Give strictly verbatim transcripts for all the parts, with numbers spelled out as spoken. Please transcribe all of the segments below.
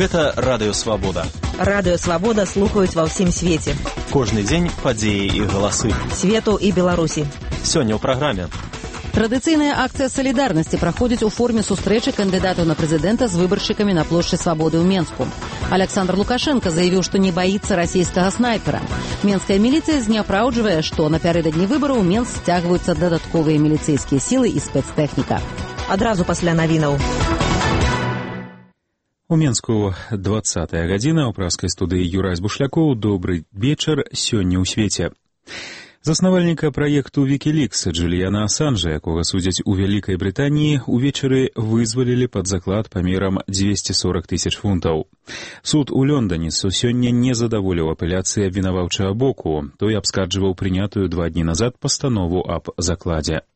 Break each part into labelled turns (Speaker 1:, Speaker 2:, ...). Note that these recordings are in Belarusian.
Speaker 1: Гэта радыё Свабода.
Speaker 2: Радыё Свабода слухаюць ва ўсім свеце.
Speaker 1: Кожны дзень падзеі і галасы
Speaker 2: Свету і Беларусі.
Speaker 1: Сёння ў праграме.
Speaker 3: Традыцыйная акцыя салідарнасці праходзіць у форме сустрэчы кандыдатаў на прэзідэнта з выбаршчыкамі на плошчы Свабоды ў Менску. Александр Лукашенко заявіў, што не баіцца расійскага снайпера. Менская міліцыя зняпраўджвае, што напярэдадні выбараў у Менск сцягваюцца дадатковыя міліцэйскія сілы і спецтэхніка.
Speaker 2: Адразу пасля навінаў.
Speaker 4: У Менску двадцатая гадзіна, у праскай студыі Юрай Бушлякоў. Добры вечар сёння ў свеце. Заснавальніка праекту Wikileaks Джуліяна Асанжа, якога судзяць у Вялікай Брытаніі, увечары вызвалілі пад заклад памерам дзвесце сорак тысяч фунтаў. Суд у Лондоне сёння не задаволіў апеляцыі абвінаваўчага боку. Той абскарджваў прынятую два дні назад пастанову аб закладзе.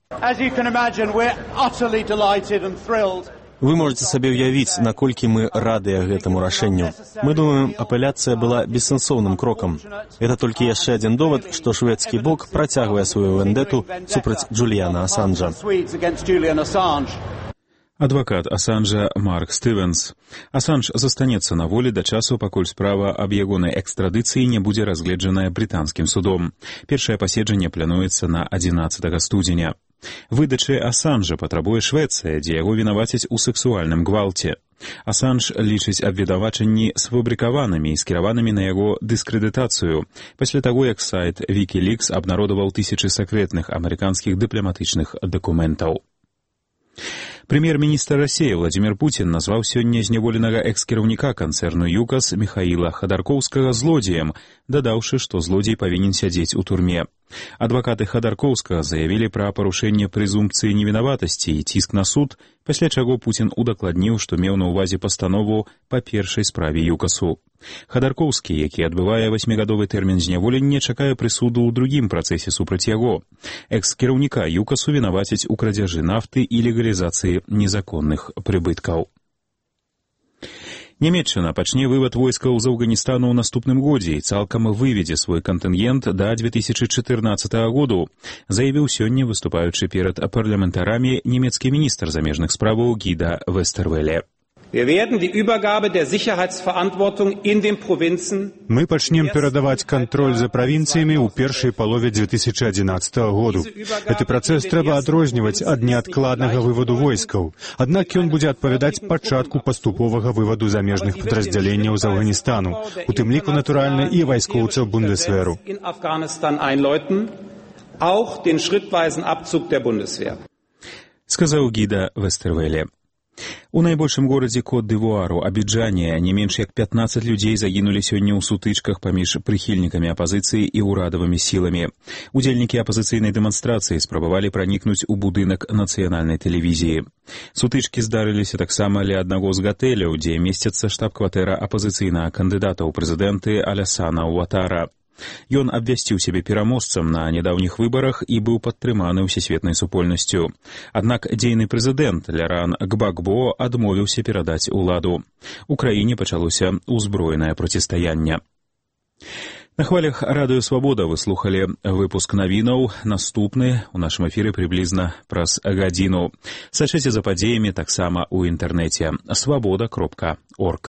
Speaker 1: Вы можете сабе ўявіць, наколькі мы радыя гэтаму рашэнню. Мы думаем, апеляцыя была бессэнсоўным крокам. Это толькі яшчэ адзін довад, што шведскі бок працягвае сваю вендэту супраць Джуліяна Асанжа.
Speaker 4: Адвакат Асанжа Марк Стывенс. Асанж застанецца на волі да часу, пакуль справа аб ягонай экстрадыцыі не будзе разгледжаная брытанскім судом. Першае паседжанне плануецца на адзінаццатага студзеня. Выдачы Асанжа патрабуе Швецыя, дзе яго вінавацяць у сэксуальным гвалце. Асанж лічыць абвінавачанні сфабрыкаванымі і скіраванымі на яго дыскрэдытацыю, пасля таго, як сайт Wikileaks абнародаваў тысячы сакрэтных амерыканскіх дыпламатычных дакументаў. Прэм'ер-міністр Расіі Владзімір Пуцін назваў сёння зняволенага экс-кіраўніка канцэрну ЮКАС Міхаіла Хадаркоўскага злодзеем, дадаўшы, што злодзей павінен сядзець у турме. Адвакаты Хадаркоўскага заявілі пра парушэнне прэзумпцыі невінаватасці і ціск на суд, пасля чаго Пуцін удакладніў, што меў на ўвазе пастанову па першай справе ЮКАСу. Хадаркоўскі, які адбывае васьмігадовы тэрмін зняволення, чакае прысуду ў другім працэсе супраць яго. Экс-кіраўніка ЮКАСу вінавацяць у крадзяжы нафты і легалізацыі незаконных прыбыткаў. Нямецчына пачне вывад войскаў з Афганістану ў наступным годзе і цалкам выведзе свой кантынгент да две тысячы чатырнаццатага году, заявіў сёння, выступаючы перад парламентарамі, нямецкі міністр замежных справаў Гіда Вестервеле.
Speaker 5: Мы пачнем перадаваць кантроль за правінцыямі ў першай палове две тысячы адзінаццатага году. Гэты працэс трэба адрозніваць ад неадкладнага вываду войскаў. Аднак ён будзе адпавядаць пачатку паступовага вываду замежных падраздзяленняў з Афганістану, у тым ліку, натуральна, і вайскоўцаў Бундесверу.
Speaker 4: Сказаў Гіда Вестервеле. У найбольшым горадзе Кот-д'Івуару, Абіджане, не менш як пятнаццаць людзей загінулі сёння ў сутычках паміж прыхільнікамі апазіцыі і ўрадавымі сіламі. Удзельнікі апазіцыйнай дэманстрацыі спрабавалі пранікнуць у будынак нацыянальнай тэлевізіі. Сутычкі здарыліся таксама ля аднаго з гатэляў, дзе месціцца штаб-кватэра апазіцыйнага кандыдата ў прэзідэнты Алясана Уатара. Ён абвясціў сябе пераможцам на нядаўніх выбарах і быў падтрыманы ўсесветнай супольнасцю. Аднак дзейны прэзідэнт Ляуран Гбагбо адмовіўся перадаць уладу. У краіне пачалося ўзброенае процістаянне. На хвалях радыё Свабода вы слухалі выпуск навінаў. Наступны у нашым эфіры прыблізна праз гадзіну. Сачыце за падзеямі таксама ў інтэрнэце свабода кропка орг.